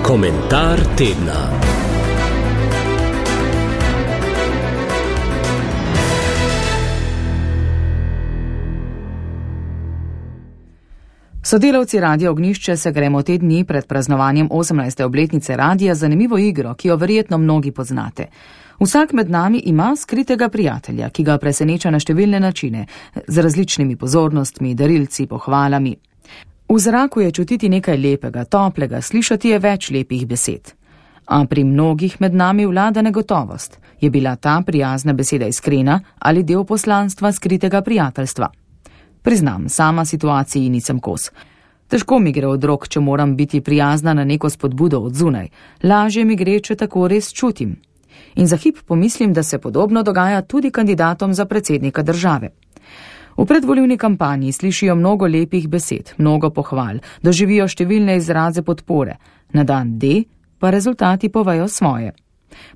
Komentar tedna. Sodelavci Radia Ognjišče se gremo te dni pred praznovanjem 18. obletnice radija zanimivo igro, ki jo verjetno mnogi poznate. Vsak med nami ima skritega prijatelja, ki ga preseneča na številne načine, z različnimi pozornostmi, darilci, pohvalami. V zraku je čutiti nekaj lepega, toplega, slišati je več lepih besed. A pri mnogih med nami vlada negotovost. Je bila ta prijazna beseda iskrena ali del poslanstva skritega prijateljstva? Priznam, sama situaciji nisem kos. Težko mi gre od rok, če moram biti prijazna na neko spodbudo od zunaj. Lažje mi gre, če tako res čutim. In za hip pomislim, da se podobno dogaja tudi kandidatom za predsednika države. V predvolilni kampanji slišijo mnogo lepih besed, mnogo pohval, doživijo številne izraze podpore. Na dan D pa rezultati povejo svoje.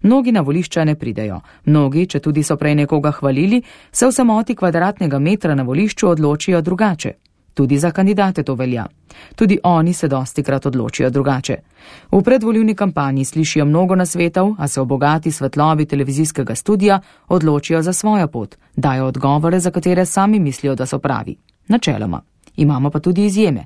Mnogi na volišča ne pridejo, mnogi, če tudi so prej nekoga hvalili, se v samoti kvadratnega metra na volišču odločijo drugače. Tudi za kandidate to velja. Tudi oni se dostikrat odločijo drugače. V predvolilni kampanji slišijo mnogo nasvetov, a se v bogati svetlobi televizijskega studia odločijo za svojo pot, dajo odgovore, za katere sami mislijo, da so pravi. Načeloma. Imamo pa tudi izjeme.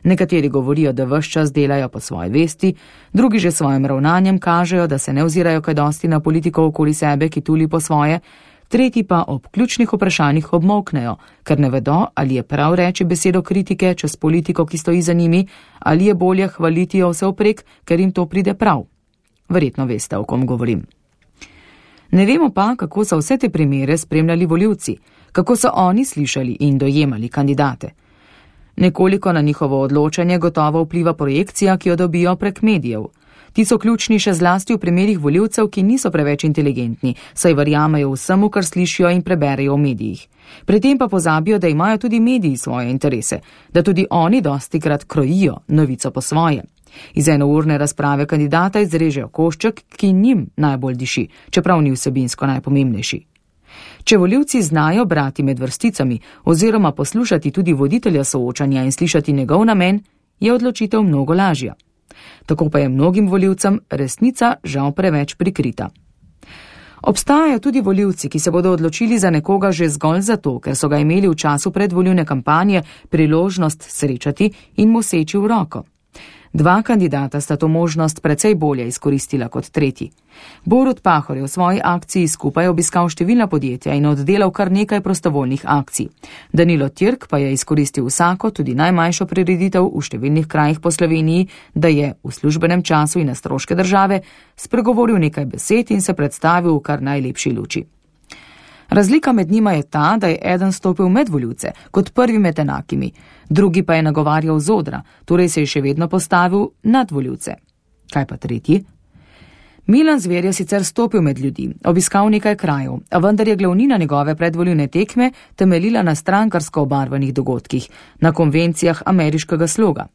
Nekateri govorijo, da ves čas delajo po svoji vesti, drugi že svojim ravnanjem kažejo, da se ne ozirajo kaj dosti na politiko okoli sebe, ki tuli po svoje, tretji pa ob ključnih vprašanjih obmolknejo, ker ne vedo, ali je prav reči besedo kritike čez politiko, ki stoji za njimi, ali je bolje hvaliti jo vsevprek, ker jim to pride prav. Verjetno veste, o kom govorim. Ne vemo pa, kako so vse te primere spremljali volivci, kako so oni slišali in dojemali kandidate. Nekoliko na njihovo odločanje gotovo vpliva projekcija, ki jo dobijo prek medijev. Ti so ključni še zlasti v primerih volivcev, ki niso preveč inteligentni, saj verjamejo vsemu, kar slišijo in preberejo v medijih. Pri tem pa pozabijo, da imajo tudi mediji svoje interese, da tudi oni dostikrat krojijo novico po svoje. Iz enourne razprave kandidata izrežejo košček, ki njim najbolj diši, čeprav ni vsebinsko najpomembnejši. Če volivci znajo brati med vrsticami oziroma poslušati tudi voditelja soočanja in slišati njegov namen, je odločitev mnogo lažja. Tako pa je mnogim volivcem resnica žal preveč prikrita. Obstajajo tudi volivci, ki se bodo odločili za nekoga že zgolj zato, ker so ga imeli v času predvolilne kampanje priložnost srečati in mu seči v roko. Dva kandidata sta to možnost precej bolje izkoristila kot tretji. Borut Pahor je v svoji akciji skupaj obiskal številna podjetja in oddelal kar nekaj prostovoljnih akcij. Danilo Tirk pa je izkoristil vsako, tudi najmanjšo prireditev v številnih krajih po Sloveniji, da je v službenem času in na stroške države spregovoril nekaj besed in se predstavil v kar najlepši luči. Razlika med njima je ta, da je eden stopil med volivce, kot prvi med enakimi, drugi pa je nagovarjal z odra, torej se je še vedno postavil nad volivce. Kaj pa tretji? Milan Zver je sicer stopil med ljudi, obiskal nekaj krajev, a vendar je glavnina njegove predvolilne tekme temeljila na strankarsko obarvanih dogodkih, na konvencijah ameriškega sloga.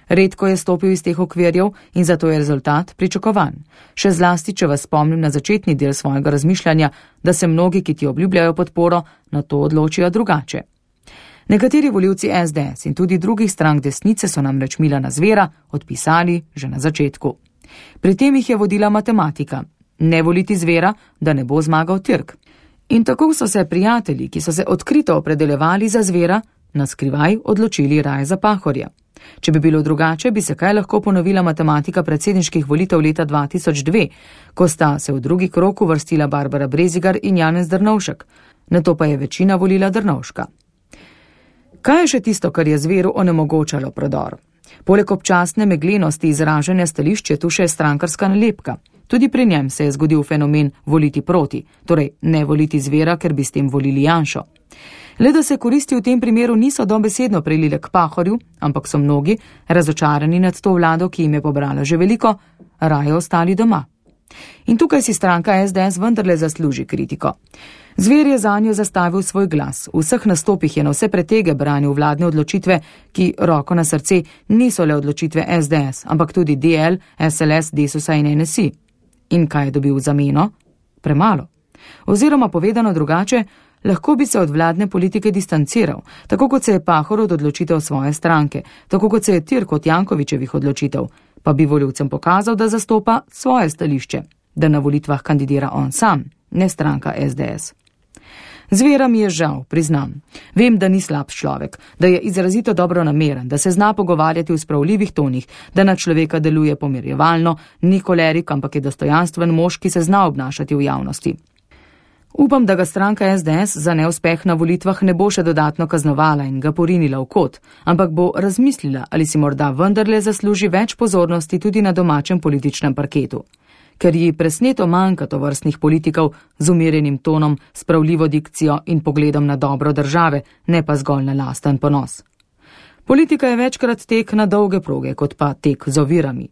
Redko je stopil iz teh okvirjev in zato je rezultat pričakovan. Še zlasti, če vas spomnim na začetni del svojega razmišljanja, da se mnogi, ki ti obljubljajo podporo, na to odločijo drugače. Nekateri volivci SDS in tudi drugih strank desnice so namreč Milana Zvera odpisali že na začetku. Pri tem jih je vodila matematika. Ne voliti Zvera, da ne bo zmagal Tirk. In tako so se prijatelji, ki so se odkrito opredeljevali za Zvera, na skrivaj odločili raje za Pahorja. Če bi bilo drugače, bi se kaj lahko ponovila matematika predsedniških volitev leta 2002, ko sta se v drugi krog uvrstila Barbara Brezigar in Janez Drnovšek. Nato pa je večina volila Drnovška. Kaj je še tisto, kar je Zveru onemogočalo prodor? Poleg občasne meglenosti izražanja stališč je tu še strankarska nalepka. Tudi pri njem se je zgodil fenomen voliti proti, torej ne voliti Zvera, ker bi s tem volili Janšo. Le da se koristi v tem primeru niso dobesedno prelile k Pahorju, ampak so mnogi, razočarani nad to vlado, ki jim je pobrala že veliko, raje ostali doma. In tukaj si stranka SDS vendarle zasluži kritiko. Zver je zanjo zastavil svoj glas. V vseh nastopih je na vse pretege branil vladne odločitve, ki, roko na srce, niso le odločitve SDS, ampak tudi DL, SLS, Desusa in NSI. In kaj je dobil v zameno? Premalo. Oziroma povedano drugače, lahko bi se od vladne politike distanciral, tako kot se je Pahor od odločitev svoje stranke, tako kot se je Tirk od Jankovićevih odločitev. pa bi volivcem pokazal, da zastopa svoje stališče, da na volitvah kandidira on sam, ne stranka SDS. Z Vera mi je žal, priznam. Vem, da ni slab človek, da je izrazito dobronameren, da se zna pogovarjati v spravljivih tonih, da na človeka deluje pomirjevalno, ni kolerik, ampak je dostojanstven mož, ki se zna obnašati v javnosti. Upam, da ga stranka SDS za neuspeh na volitvah ne bo še dodatno kaznovala in ga porinila v kot, ampak bo razmislila, ali si morda vendarle zasluži več pozornosti tudi na domačem političnem parketu. Ker ji presneto manjka tovrstnih politikov z umirjenim tonom, spravljivo dikcijo in pogledom na dobro države, ne pa zgolj na lasten ponos. Politika je večkrat tek na dolge proge, kot pa tek z ovirami.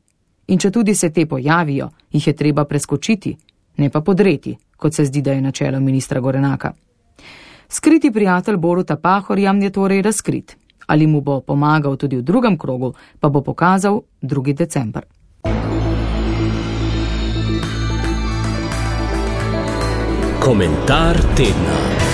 In če tudi se te pojavijo, jih je treba preskočiti, ne pa podreti, kot se zdi, da je načelo ministra Gorenaka. Skriti prijatelj Boruta Pahorja je torej razkrit. Ali mu bo pomagal tudi v drugem krogu, pa bo pokazal 2. december. Komentar tedna.